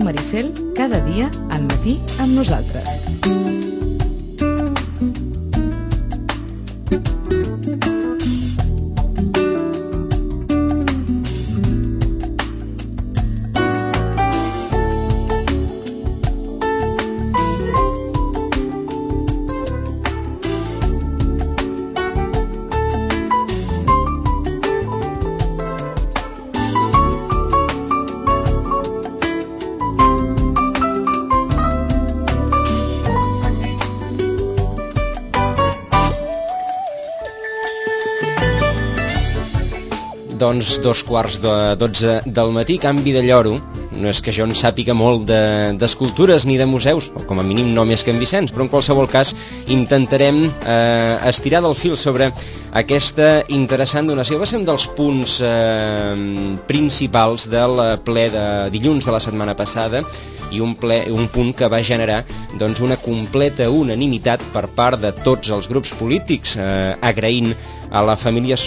Maricel, cada dia al matí amb nosaltres. Doncs 2:45 del matí, canvi de lloro. No és que jo en sàpiga molt d'escultures ni de museus, o com a mínim no més que en Vicenç, però en qualsevol cas intentarem estirar del fil sobre aquesta interessant donació. Va ser un dels punts principals del ple de dilluns de la setmana passada i un punt que va generar doncs, una completa unanimitat per part de tots els grups polítics, agraint a la família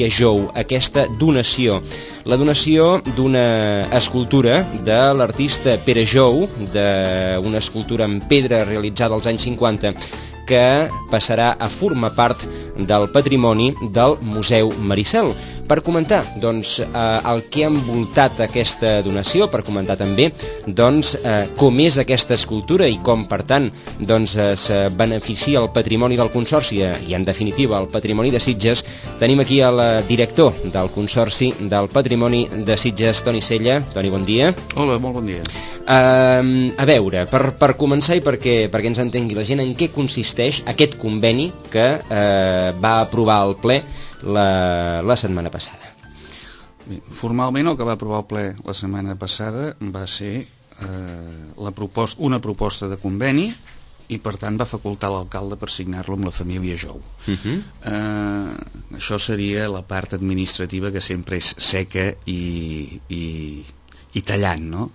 Jou aquesta donació. La donació d'una escultura de l'artista Pere Jou, d'una escultura en pedra realitzada als anys 50, que passarà a formar part del patrimoni del Museu Maricel. Per comentar doncs, el que ha envoltat aquesta donació, per comentar també doncs, com és aquesta escultura i com, per tant, doncs, es beneficia el patrimoni del Consorci i, en definitiva, el patrimoni de Sitges, tenim aquí el director del Consorci del Patrimoni de Sitges, Toni Sella. Toni, bon dia. Hola, molt bon dia. A veure, per començar i perquè ens entengui la gent, en què consisteix aquest conveni que va aprovar el ple la setmana passada? Bé, formalment el que va aprovar el ple la setmana passada va ser una proposta de conveni i per tant va facultar l'alcalde per signar-lo amb la família Jou. Això seria la part administrativa, que sempre és seca i tallant, no?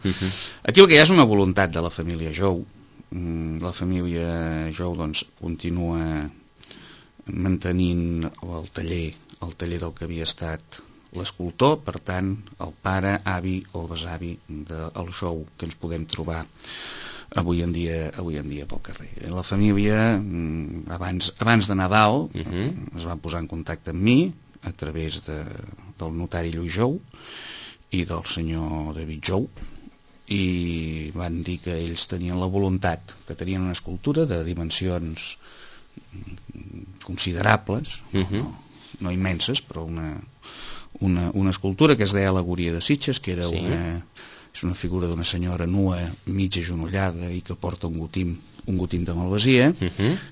Aquí el que hi ha és una voluntat de la família Jou. La família Jou doncs, continua mantenint el taller del que havia estat l'escultor, per tant, el pare, avi o besavi del Jou que ens podem trobar avui en dia pel carrer. La família, abans de Nadal, es va posar en contacte amb mi a través del notari Lluís Jou i del senyor David Jou, i van dir que ells tenien la voluntat, que tenien una escultura de dimensions considerables, no immenses, però una escultura que es deia Alegoria de Sitges, que era és una figura d'una senyora nua, mig agenollada i que porta un gotim de malvasia,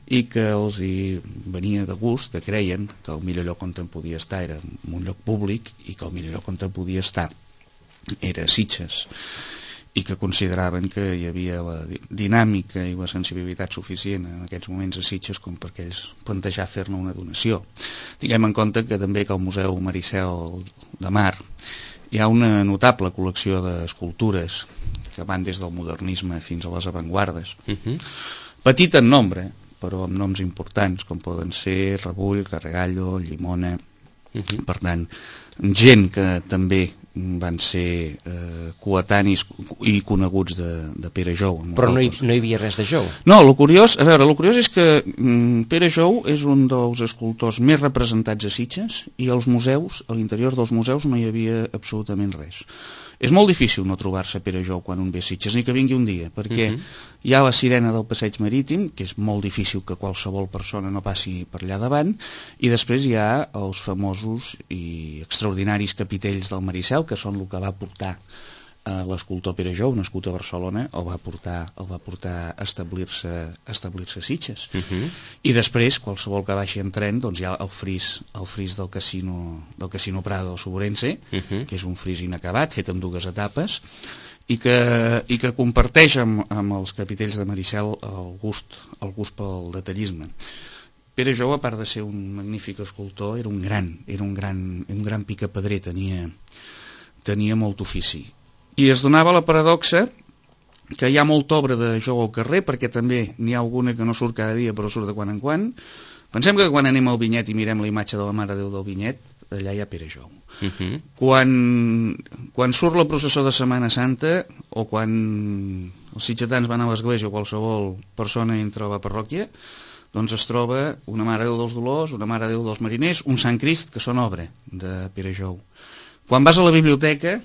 i que els hi venia de gust, que creien que el millor lloc on en podia estar era en un lloc públic i que el millor lloc on en podia estar era Sitges, i que consideraven que hi havia la dinàmica i la sensibilitat suficient en aquests moments a Sitges com perquè ells plantejar fer-ne una donació. Tinguem en compte que també que al Museu Maricel de Mar hi ha una notable col·lecció d'escultures que van des del modernisme fins a les avantguardes. Petit en nombre, però amb noms importants, com poden ser Rebull, Carregallo, Llimona. Per tant, gent que també van ser coetanis i coneguts de Pere Jou. Però no hi havia res de Jou? No, el curiós és que Pere Jou és un dels escultors més representats a Sitges i als museus, a l'interior dels museus, no hi havia absolutament res. És molt difícil no trobar-se Pere Jou quan un ve a Sitges, ni que vingui un dia, perquè hi ha la sirena del passeig marítim, que és molt difícil que qualsevol persona no passi per allà davant, i després hi ha els famosos i extraordinaris capitells del Maricel, que són el que va portar l'escultor Pere Jou, nascut a Barcelona, el va portar a establir-se a Sitges. I després, qualsevol que baixi en tren, doncs hi ha el fris del Casino Prado del Soborense, que és un fris inacabat, fet en 2 etapes, i que comparteix amb els capitells de Maricel el gust pel detallisme. Pere Jou, a part de ser un magnífic escultor, era un gran picapedrer, tenia molt ofici. I es donava la paradoxa que hi ha molta obra de Jou al carrer, perquè també n'hi ha alguna que no surt cada dia però surt de quan en quan. Pensem que quan anem al Vinyet i mirem la imatge de la Mare de Déu del Vinyet, allà hi ha Pere Jou. Quan surt la processó de Setmana Santa o quan els sitgetans van a l'església o qualsevol persona entra a la parròquia, doncs es troba una Mare de Déu dels Dolors, una Mare de Déu dels Mariners, un Sant Crist, que són obra de Pere Jou. Quan vas a la biblioteca,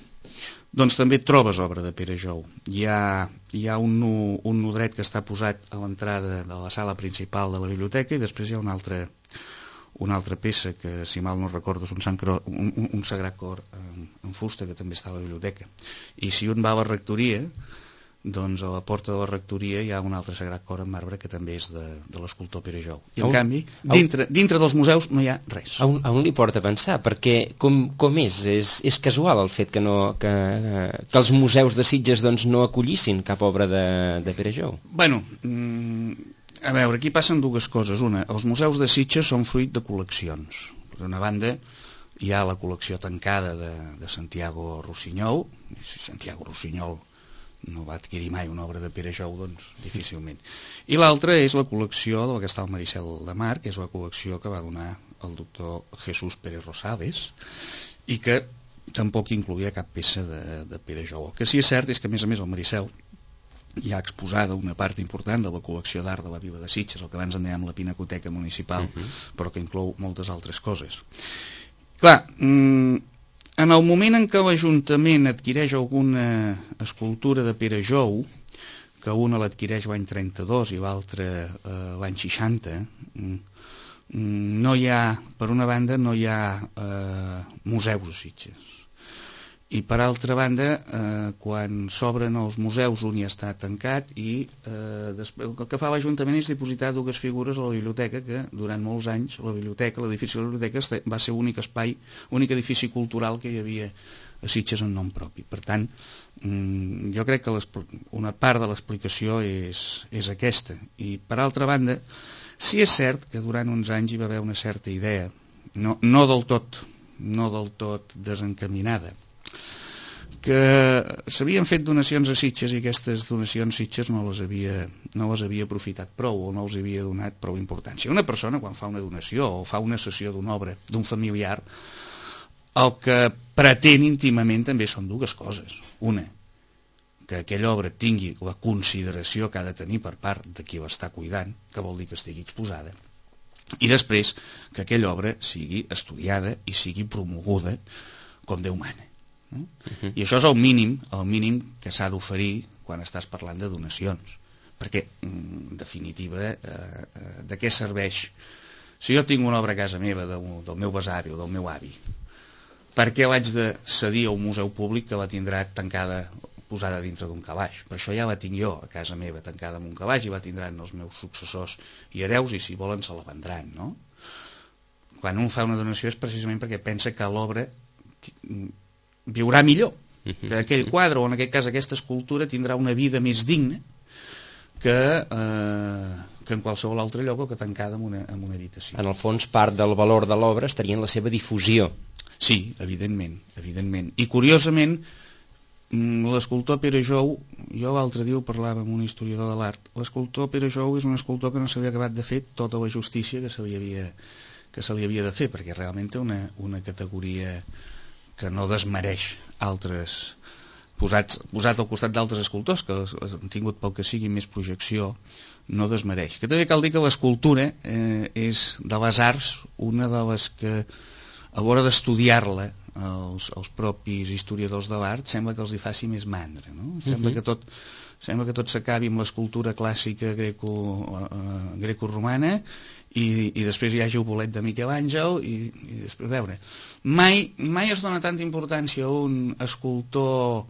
doncs també et trobes obra de Pere Jou. Hi ha un nodret que està posat a l'entrada de la sala principal de la biblioteca i després hi ha una altra peça que, si mal no recordo, és un Sagrat Cor en fusta que també està a la biblioteca. I si un va a la rectoria, doncs a la porta de la rectoria hi ha un altre Sagrat Cor en marbre que també és de l'escultor Pere Jou. I en canvi, dintre dels museus no hi ha res. A on li porta a pensar? Perquè com és casual el fet que els museus de Sitges doncs, no acollissin cap obra de Pere Jou? Bueno, a veure, aquí passen dues coses. Una, els museus de Sitges són fruit de col·leccions. Per una banda, hi ha la col·lecció tancada de Santiago Rossinyol. Si Santiago Rossinyol no va adquirir mai una obra de Pere Jou, doncs difícilment. I l'altra és la col·lecció del que està al Maricel de Mar, que és la col·lecció que va donar el doctor Jesús Pérez Rosales i que tampoc incloïa cap peça de Pere Jou. El que sí és cert és que, a més al Maricel hi ha exposada una part important de la col·lecció d'art de la Vila de Sitges, el que abans en dèiem la Pinacoteca Municipal, però que inclou moltes altres coses. Clar, en el moment en què l'Ajuntament adquireix alguna escultura de Pere Jou, que una l'adquireix l'any 32 i l'altra l'any 60, no hi ha, per una banda, no hi ha museus a Sitges. I per altra banda, quan s'obren els museus un ja està tancat i el que fa l'Ajuntament és dipositar dues figures a la biblioteca, que durant molts anys l'edifici de la biblioteca va ser l'únic espai, l'únic edifici cultural que hi havia a Sitges en nom propi. Per tant, jo crec que una part de l'explicació és aquesta. I per altra banda, sí és cert que durant uns anys hi va haver una certa idea, no del tot desencaminada, que s'havien fet donacions a Sitges i aquestes donacions Sitges no les havia aprofitat prou o no els havia donat prou importància. Una persona quan fa una donació o fa una cessió d'una obra d'un familiar, el que pretén íntimament també són dues coses. Una, que aquella obra tingui la consideració que ha de tenir per part de qui l'està cuidant, que vol dir que estigui exposada, i després que aquella obra sigui estudiada i sigui promoguda com Déu mana. I això és el mínim que s'ha d'oferir quan estàs parlant de donacions, perquè en definitiva de què serveix si jo tinc una obra a casa meva del meu besavi o del meu avi, per què l'haig de cedir a un museu públic que la tindrà tancada, posada dintre d'un calaix? Per això ja la tinc jo a casa meva tancada en un calaix i la tindran els meus successors i hereus i si volen se la vendran, no? Quan un fa una donació és precisament perquè pensa que l'obra viurà millor, que aquell quadre o en aquest cas aquesta escultura tindrà una vida més digna que en qualsevol altre lloc o que tancada en una habitació. En el fons, part del valor de l'obra estaria en la seva difusió. Sí, evidentment. I curiosament, l'escultor Pere Jou, jo l'altre dia ho parlava amb un historiador de l'art, l'escultor Pere Jou és un escultor que no s'havia acabat de fer tota la justícia que se li havia de fer, perquè realment té una categoria que no desmereix altres, posat al costat d'altres escultors que han tingut pel que sigui més projecció, no desmereix. Que també cal dir que l'escultura és de les arts una de les que a l'hora d'estudiar-la els propis historiadors de l'art sembla que els hi faci més mandra, no? Sembla que tot s'acabi amb l'escultura clàssica greco-romana i després hi hagi el bolet de Miquel Àngel i després, a veure, mai es dona tanta importància a un escultor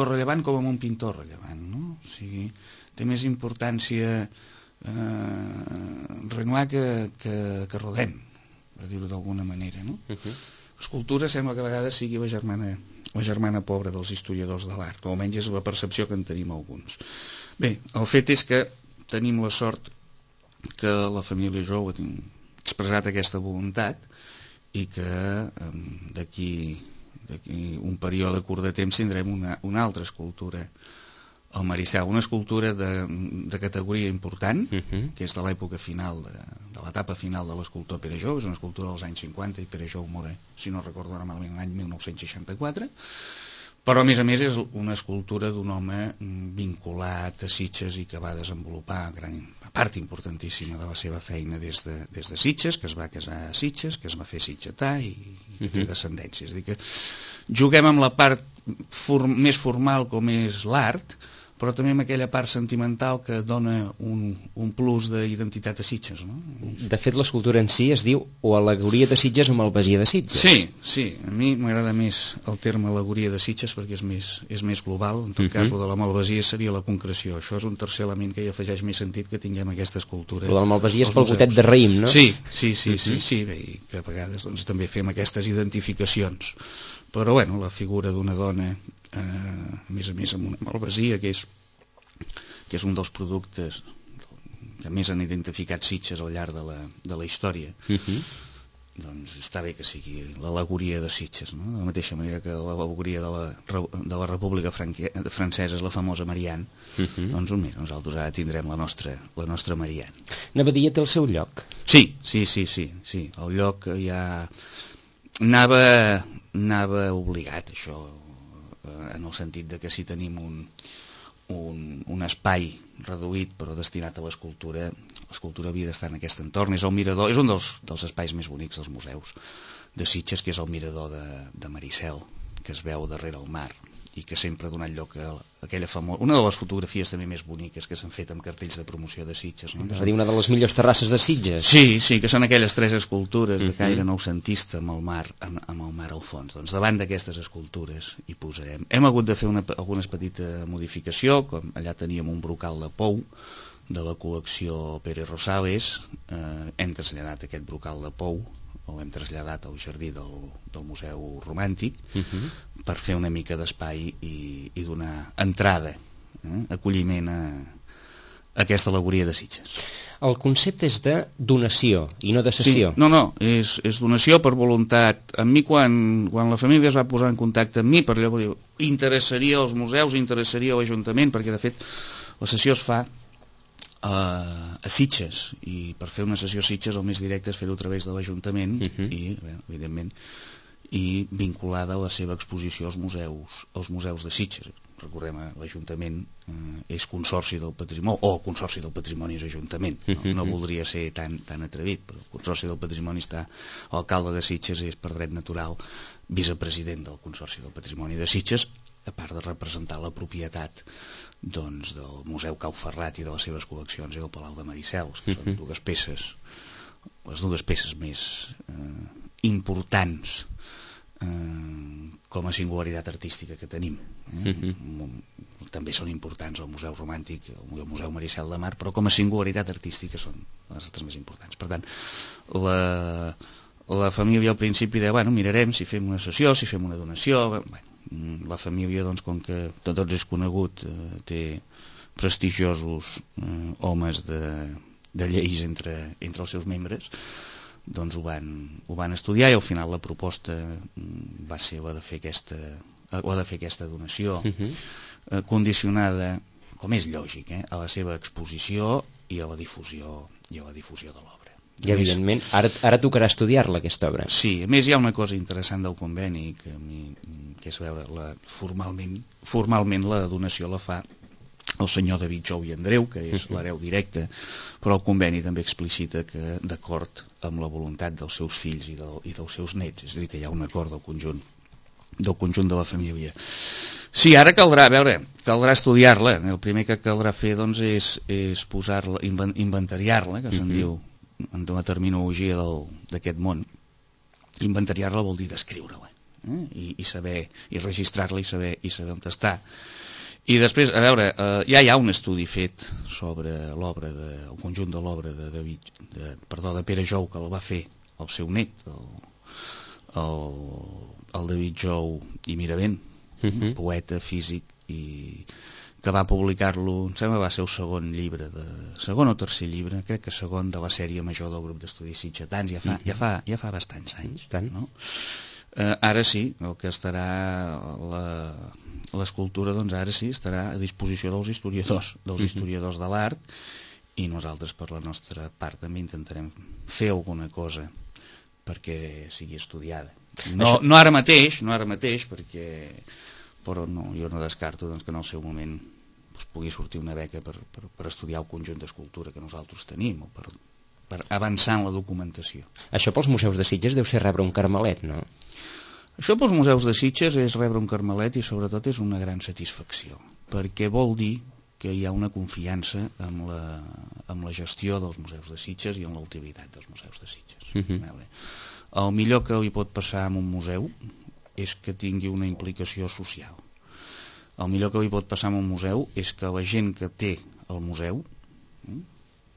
rellevant com a un pintor rellevant, no? O sigui, té més importància Renoir que Rodin, per dir-ho d'alguna manera, no? L'escultura sembla que a vegades sigui la la germana pobra dels historiadors de l'art, o almenys és la percepció que en tenim alguns. Bé, el fet és que tenim la sort que la família Jou ha expressat aquesta voluntat i que d'aquí un període curt de temps tindrem una altra escultura al Maricel, una escultura de categoria important, que és de l'època final, de l'etapa final de l'escultor Pere Jou, és una escultura dels anys 50 i Pere Jou mor, si no recordo ara malament, l'any 1964, però a més és una escultura d'un home vinculat a Sitges i que va desenvolupar gran part importantíssima de la seva feina des de Sitges, que es va casar a Sitges, que es va fer sitgetà i té descendència. És a dir, que juguem amb la part més formal com és l'art, però també amb aquella part sentimental que dona un plus d'identitat a Sitges, no? De fet, l'escultura en si es diu o al·legoria de Sitges o malvasia de Sitges. Sí, a mi m'agrada més el terme al·legoria de Sitges perquè és més global. En tot cas, el de la malvasia seria la concreció. Això és un tercer element que hi afegeix més sentit que tinguem aquesta escultura. El de la malvasia és pel gotet de raïm, no? Sí, bé, i que a vegades també fem aquestes identificacions. Però, bueno, la figura d'una dona, a més amb una malvasia, que és un dels productes que més han identificat Sitges al llarg de la història, doncs està bé que sigui l'al·legoria de Sitges, no? De la mateixa manera que l'al·legoria de la República Francesa és la famosa Marianne, doncs mira, nosaltres ara tindrem la nostra Marianne. N'Abadia té el seu lloc? Sí, el lloc ja anava obligat, això, en el sentit de que si tenim un espai reduït però destinat a l'escultura havia d'estar en aquest entorn. És el mirador, és un dels espais més bonics dels museus de Sitges, que és el mirador de Maricel, que es veu darrere el mar i que sempre ha donat lloc a aquella famosa... Una de les fotografies també més boniques que s'han fet amb cartells de promoció de Sitges, no? És a dir, una de les millors terrasses de Sitges. Sí, que són aquelles 3 escultures de caire noucentista amb el mar al fons. Doncs davant d'aquestes escultures hi posarem. Hem hagut de fer alguna petita modificació, com allà teníem un brocal de pou de la col·lecció Pere Rosales, hem traslladat aquest brocal de pou, o hem traslladat al jardí del Museu Romàntic per fer una mica d'espai i donar entrada, acolliment a aquesta al·legoria de Sitges. El concepte és de donació i no de cessió. Sí, no, és donació per voluntat. A mi quan la família es va posar en contacte amb mi, per allò dir, interessaria als museus, interessaria a l'Ajuntament, perquè de fet la sessió es fa a Sitges, i per fer una sessió a Sitges el més directe és fer-ho a través de l'Ajuntament i, bé, evidentment, i vinculada a la seva exposició als museus de Sitges. Recordem, l'Ajuntament és Consorci del Patrimoni, o Consorci del Patrimoni és Ajuntament, no voldria ser tan atrevit, però el Consorci del Patrimoni està, l'alcalde de Sitges és per dret natural vicepresident del Consorci del Patrimoni de Sitges, a part de representar la propietat del Museu Cau Ferrat i de les seves col·leccions i del Palau de Maricels, que són les dues peces més importants com a singularitat artística que tenim. També són importants el Museu Romàntic, el Museu Maricel de Mar, però com a singularitat artística són les altres més importants. Per tant, la família al principi deia, bueno, mirarem si fem una sessió, si fem una donació. La família, doncs, com que tots és conegut, té prestigiosos homes de lleis entre els seus membres, doncs ho van estudiar i al final la proposta va ser la de fer aquesta donació condicionada, com és lògic, a la seva exposició i a la difusió de l'obra. I evidentment, ara tocarà estudiar-la, aquesta obra. Sí, a més hi ha una cosa interessant del conveni que és veure formalment la donació la fa el senyor David Jou i Andreu, que és l'hereu directe, però el conveni també explicita que d'acord amb la voluntat dels seus fills i dels seus nets, és a dir, que hi ha un acord del conjunt de la família. Sí, ara caldrà estudiar-la. El primer que caldrà fer, doncs, és posar-la, inventariar-la, que se'n diu en la terminologia d'aquest món. Inventariar-la vol dir descriure-la, i saber, i registrar-la i saber on està. I després, a veure, ja hi ha un estudi fet sobre l'obra, el conjunt de l'obra de Pere Jou, que el va fer el seu net, el David Jou i Miravent, poeta, físic, i que va publicar-lo, em sembla va ser el segon o tercer llibre, crec que segon de la sèrie major del grup d'estudis sitgetans, ja fa bastants anys, no? Ara sí, el que estarà l'escultura, doncs ara sí estarà a disposició dels historiadors de l'art, i nosaltres per la nostra part també intentarem fer alguna cosa perquè sigui estudiada, no ara mateix perquè, però no, jo no descarto doncs, que en el seu moment pugui sortir una beca per estudiar el conjunt d'escultura que nosaltres tenim, o per avançar en la documentació. Això pels museus de Sitges deu ser rebre un carmelet, no? Això pels museus de Sitges és rebre un carmelet, i sobretot és una gran satisfacció, perquè vol dir que hi ha una confiança amb la gestió dels museus de Sitges i amb la utilitat dels museus de Sitges. El millor que li pot passar a un museu és que tingui una implicació social. El millor que li pot passar a un museu és que la gent que té el museu,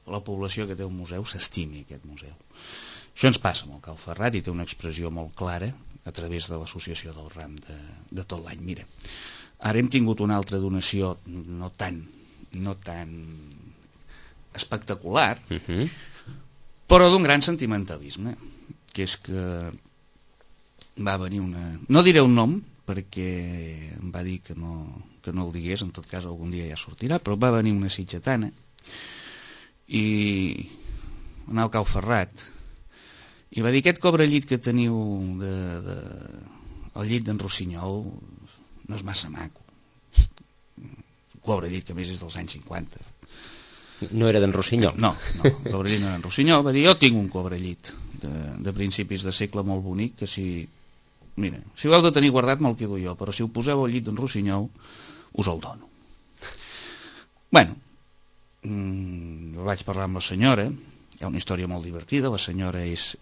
la població que té el museu, s'estimi aquest museu. Això ens passa amb el Cal Ferrat i té una expressió molt clara a través de l'associació del RAM de tot l'any. Mira, ara hem tingut una altra donació no tan espectacular, però d'un gran sentimentalisme, que és que va venir no diré un nom perquè em va dir que no el digués, en tot cas algun dia ja sortirà, però va venir una sitgetana i anar al Cal Ferrat i va dir: aquest cobrellit que teniu el llit d'en Rossinyol no és massa maco. Un cobrellit que a més és dels anys 50. No era d'en Rossinyol? No, el cobrellit no era d'en Rossinyol. Va dir: jo tinc un cobrellit de principis de segle molt bonic, que si ho heu de tenir guardat me'l quedo jo, però si ho poseu al llit d'en Rossinyol us el dono. Bueno, vaig parlar amb la senyora, hi ha una història molt divertida. La senyora és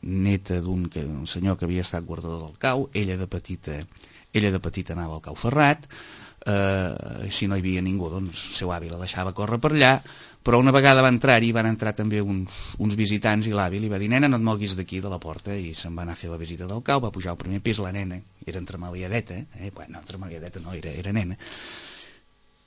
neta d'un senyor que havia estat guardador del cau. Ella de petita anava al Cau Ferrat, si no hi havia ningú, doncs el seu avi la deixava córrer per allà, però una vegada va entrar-hi, van entrar també uns visitants, i l'avi li va dir: nena, no et moguis d'aquí de la porta, i se'n va anar a fer la visita del cau. Va pujar al primer pis, la nena era entremaliadeta, entremaliadeta no, era nena,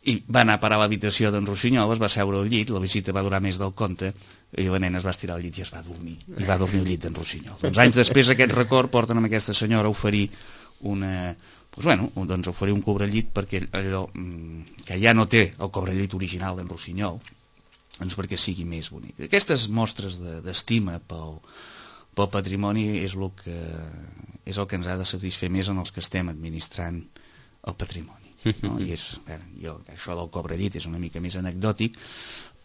i va anar a parar a l'habitació d'en Rossinyol, es va seure al llit, la visita va durar més del compte, i la nena es va estirar al llit i es va dormir, i va dormir al llit d'en Rossinyol. Doncs anys després aquest record porten amb aquesta senyora a oferir oferir un cobrellit, perquè allò que ja no té el cobrellit original d'en Rossinyol, doncs perquè sigui més bonic. Aquestes mostres d'estima pel patrimoni és el que ens ha de satisfer més en els que estem administrant el patrimoni, no? I això del cobrellit és una mica més anecdòtic,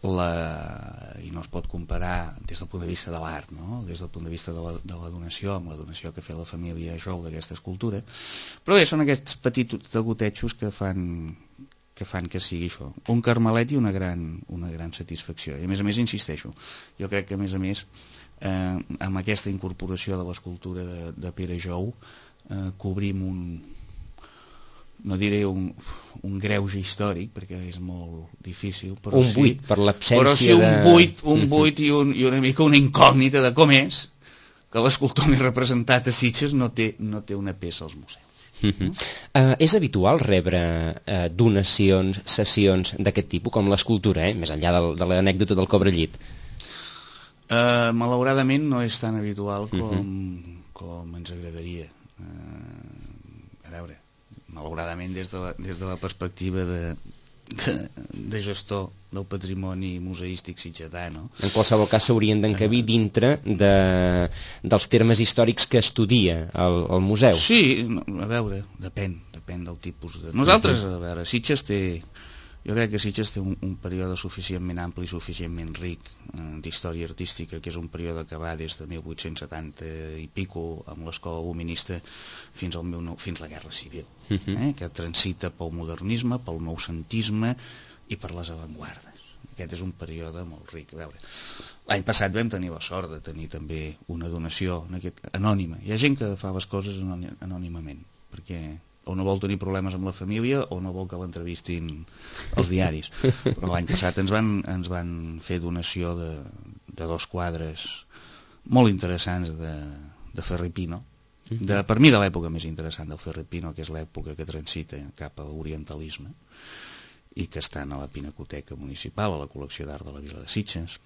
i no es pot comparar des del punt de vista de l'art, no? Des del punt de vista de la donació, amb la donació que ha fet la família Jou d'aquesta escultura, però bé, són aquests petits degotejos que fan que sigui això, un carmelet i una gran satisfacció. I a més, insisteixo, jo crec que a més, amb aquesta incorporació de l'escultura de Pere Jou, cobrim no diré un greuge històric, perquè és molt difícil, però un buit per l'absència un buit i una mica una incògnita de com és que l'escultor més representat a Sitges no té una peça als museus. És habitual rebre donacions, sessions d'aquest tipus, com l'escultura, més enllà de l'anècdota del cobrellit? Malauradament no és tan habitual com ens agradaria. A veure, malauradament des de la perspectiva de gestor del patrimoni museístic sitgetà, no? En qualsevol cas s'haurien d'encabir dintre dels termes històrics que estudia el museu. Sí, a veure, depèn del tipus de... Nosaltres, a veure, jo crec que Sitges té un període suficientment ampli i suficientment ric d'història artística, que és un període que va des de 1870 i pico amb l'escola luminista fins la Guerra Civil, que transita pel modernisme, pel noucentisme i per les avantguardes. Aquest és un període molt ric. A veure, l'any passat vam tenir la sort de tenir també una donació anònima. Hi ha gent que fa les coses anònimament, perquè o no vol tenir problemes amb la família o no vol que l'entrevistin els diaris. Però l'any passat ens van fer donació de 2 quadres molt interessants Ferrer i Pino, per mi de l'època més interessant del Ferrer i Pino, que és l'època que transita cap a l'orientalisme i que estan a la Pinacoteca Municipal, a la col·lecció d'art de la Vila de Sitges.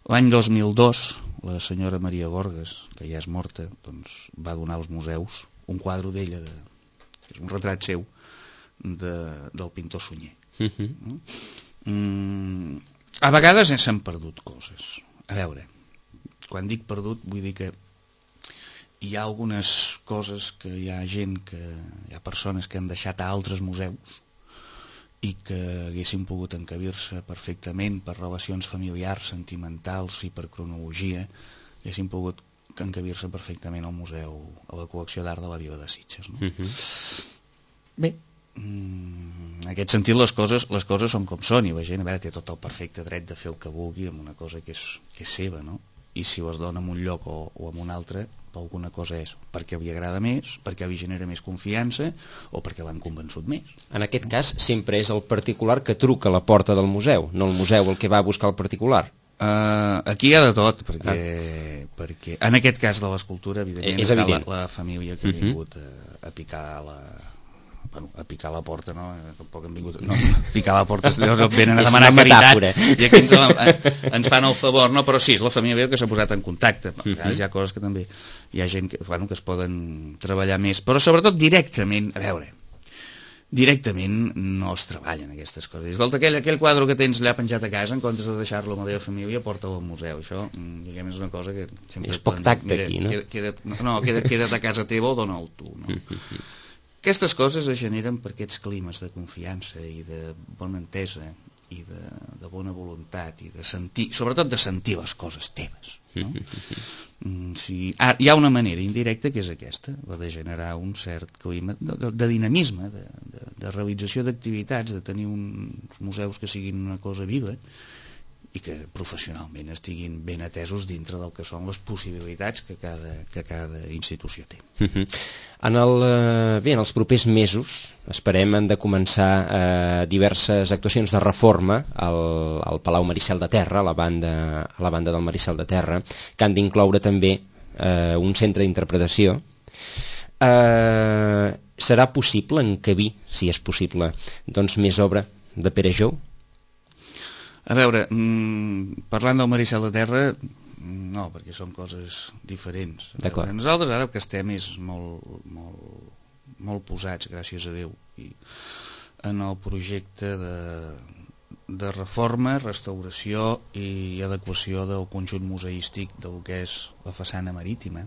L'any 2002, la senyora Maria Gorgas, que ja és morta, doncs, va donar als museus un quadre d'ella, que és un retrat seu, del pintor Sunyer. A vegades s'han perdut coses. A veure, quan dic perdut vull dir que hi ha algunes coses que hi ha gent, hi ha persones que han deixat a altres museus i que haguessin pogut encabir-se perfectament per relacions familiars, sentimentals i per cronologia, haguessin pogut encabir-se perfectament al museu, a la col·lecció d'art de la Vila de Sitges, no? Bé, en aquest sentit les coses són com són, i la gent, a veure, té tot el perfecte dret de fer el que vulgui amb una cosa que és seva, no? I si les dona en un lloc o en un altre, per alguna cosa és perquè li agrada més, perquè li genera més confiança o perquè l'han convençut més. En aquest cas sempre és el particular que truca a la porta del museu, no el museu el que va a buscar el particular. Aquí hi ha de tot, perquè en aquest cas de l'escultura, evidentment, està la família que ha vingut a picar la porta, no? Tampoc han vingut... No, picar la porta, llavors venen a demanar caritat i aquí ens fan el favor, no? Però sí, és la família que s'ha posat en contacte. Hi ha coses que també hi ha gent que es poden treballar més, però sobretot directament, a veure, directament no es treballen aquestes coses. Escolta, aquell quadre que tens allà penjat a casa, en comptes de deixar-lo amb la teva família, porta-ho al museu. Això, diguem, és una cosa que... És poc tacte aquí, no? Queda't a casa teva o dona-ho tu, no? Aquestes coses es generen per aquests climes de confiança i de bona entesa i de bona voluntat i de sentir, sobretot de sentir les coses teves, no? Hi ha una manera indirecta que és aquesta, la de generar un cert clima de dinamisme, de realització d'activitats, de tenir uns museus que siguin una cosa viva i que professionalment estiguin ben atesos dintre del que són les possibilitats que cada institució té. En els propers mesos esperem han de començar diverses actuacions de reforma al Palau Maricel de Terra, a la banda del Maricel de Terra, que han d'incloure també un centre d'interpretació. Serà possible encabir, si és possible, doncs més obra de Pere Jou? A veure, parlant del Maricel de Terra, no, perquè són coses diferents. Nosaltres ara el que estem és molt posats, gràcies a Déu, en el projecte de reforma, restauració i adequació del conjunt museístic del que és la façana marítima.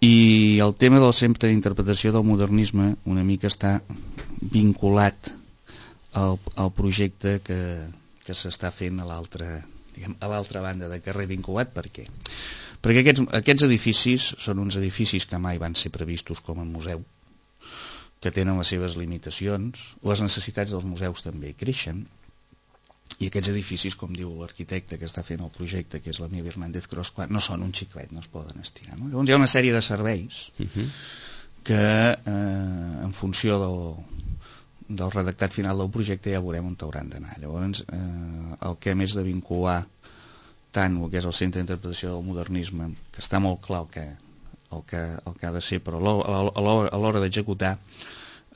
I el tema del centre d'interpretació del modernisme una mica està vinculat al projecte que s'està fent a l'altra banda de carrer. Vinculat per què? Perquè aquests edificis són uns edificis que mai van ser previstos com a museu, que tenen les seves limitacions, les necessitats dels museus també creixen, i aquests edificis, com diu l'arquitecte que està fent el projecte, que és l'Emili Hernández Cros, no són un xiclet, no es poden estirar, no? Llavors hi ha una sèrie de serveis que en funció del redactat final del projecte ja veurem on hauran d'anar. Llavors el que hem és de vincular tant el que és el centre d'interpretació del modernisme, que està molt clar el que ha de ser, però a l'hora d'executar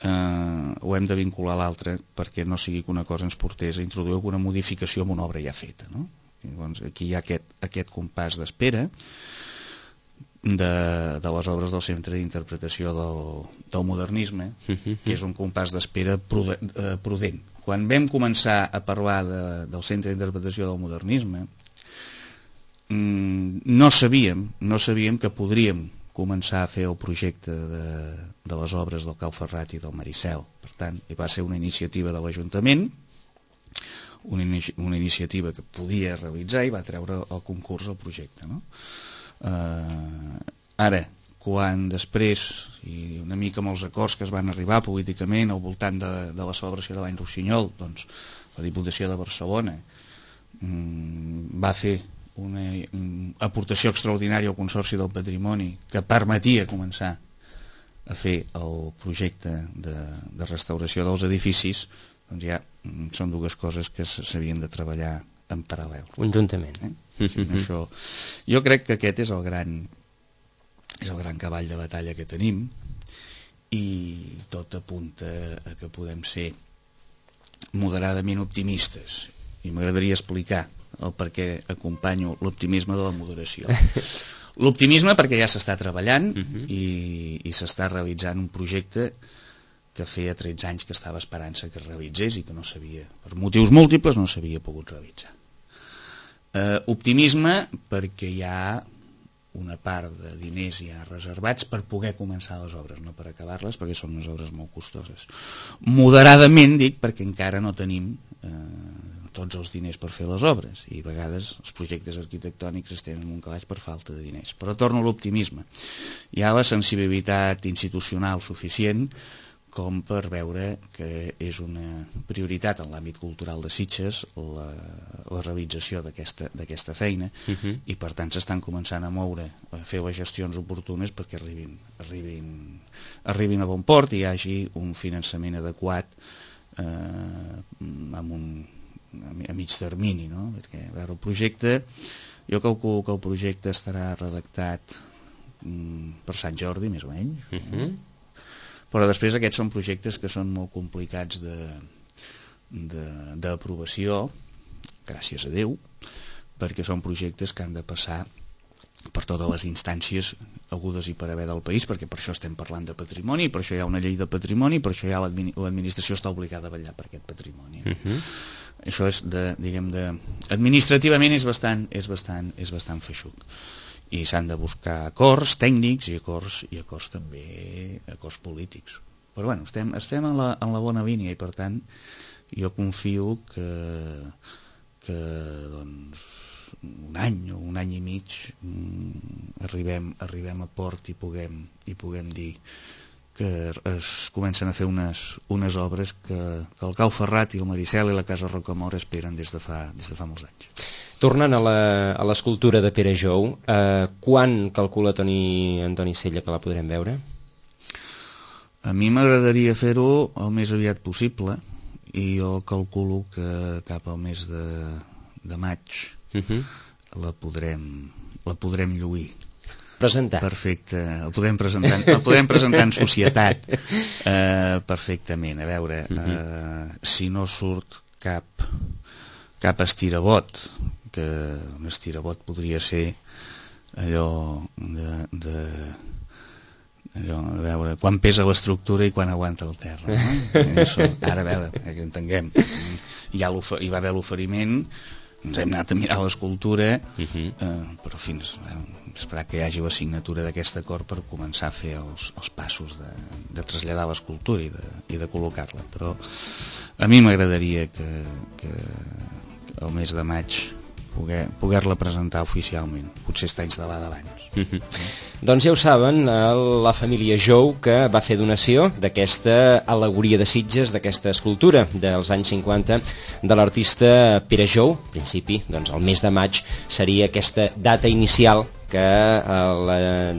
ho hem de vincular a l'altre perquè no sigui que una cosa ens portés a introduir alguna modificació en una obra ja feta, no? Llavors aquí hi ha aquest compàs d'espera de les obres del centre d'interpretació del modernisme, que és un compàs d'espera prudent. Quan vam començar a parlar del centre d'interpretació del modernisme, no sabíem que podríem començar a fer el projecte de les obres del Cau Ferrat i del Maricel. Per tant, va ser una iniciativa de l'Ajuntament, una iniciativa que podia realitzar i va treure el concurs al projecte, no? Ara, quan després, i una mica amb els acords que es van arribar políticament al voltant de la celebració de l'any Rossinyol, doncs la Diputació de Barcelona va fer una aportació extraordinària al Consorci del Patrimoni que permetia començar a fer el projecte de restauració dels edificis, doncs ja són dues coses que s'havien de treballar en paral·lel. Conjuntament. Això, jo crec que aquest és el gran és el gran cavall de batalla que tenim, i tot apunta a que podem ser moderadament optimistes, i m'agradaria explicar el per què acompanyo l'optimisme de la moderació. L'optimisme perquè ja s'està treballant i s'està realitzant un projecte que feia 13 anys que estava esperant-se que es realitzés i que no s'havia, per motius múltiples, no s'havia pogut realitzar. Optimisme perquè hi ha una part de diners ja reservats per poder començar les obres, no per acabar-les, perquè són unes obres molt costoses. Moderadament, dic, perquè encara no tenim tots els diners per fer les obres, i a vegades els projectes arquitectònics es tenen un calaix per falta de diners. Però torno a l'optimisme. Hi ha la sensibilitat institucional suficient com per veure que és una prioritat en l'àmbit cultural de Sitges la realització d'aquesta feina, i per tant s'estan començant a moure, a fer les gestions oportunes perquè arribin a bon port i hi hagi un finançament adequat a mig termini, no? Perquè, a veure, el projecte, jo calculo que el projecte estarà redactat per Sant Jordi, més o menys, però després aquests són projectes que són molt complicats d'aprovació, gràcies a Déu, perquè són projectes que han de passar per totes les instàncies hagudes i per haver del país, perquè per això estem parlant de patrimoni, per això hi ha una llei de patrimoni, per això l'administració està obligada a vetllar per aquest patrimoni. Això és administrativament és bastant feixuc, i s'han de buscar acords tècnics i acords també acords polítics, però bueno, estem en la bona línia, i per tant jo confio que doncs un any i mig arribem a port i puguem dir que es comencen a fer unes obres que el Cau Ferrat i el Maricel i la Casa Rocamora esperen des de fa molts anys. Tornant a l'escultura de Pere Jou, quan calcula Antoni Sella que la podrem veure? A mi m'agradaria fer-ho el més aviat possible, i jo calculo que cap al mes de maig la podrem lluir. Presentar. Perfecte, el podem presentar en societat perfectament. A veure, si no surt cap estirabot, que un estirabot podria ser allò a veure quan pesa l'estructura i quan aguanta el terra, no? Ara a veure, que entenguem, hi va haver l'oferiment, ens hem anat a mirar l'escultura, però fins esperar que hi hagi la signatura d'aquest acord per començar a fer els passos de traslladar l'escultura i de col·locar-la. Però a mi m'agradaria que el mes de maig poder-la presentar oficialment, potser està instal·lada abans. Doncs ja ho saben, la família Jou, que va fer donació d'aquesta al·legoria de Sitges, d'aquesta escultura dels anys 50 de l'artista Pere Jou. En principi, doncs el mes de maig seria aquesta data inicial que el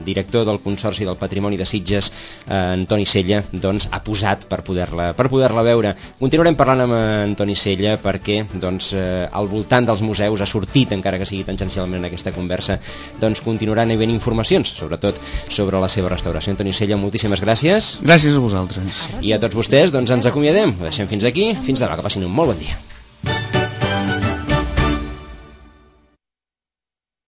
director del Consorci del Patrimoni de Sitges, Antoni Sella, doncs, ha posat per poder-la veure. Continuarem parlant amb Antoni Sella perquè doncs, al voltant dels museus ha sortit, encara que sigui tangencialment en aquesta conversa, doncs continuaran havent informacions, sobretot sobre la seva restauració. Antoni Sella, moltíssimes gràcies. Gràcies a vosaltres. I a tots vostès, doncs ens acomiadem. Ho deixem fins aquí. Fins demà, que passin un molt bon dia.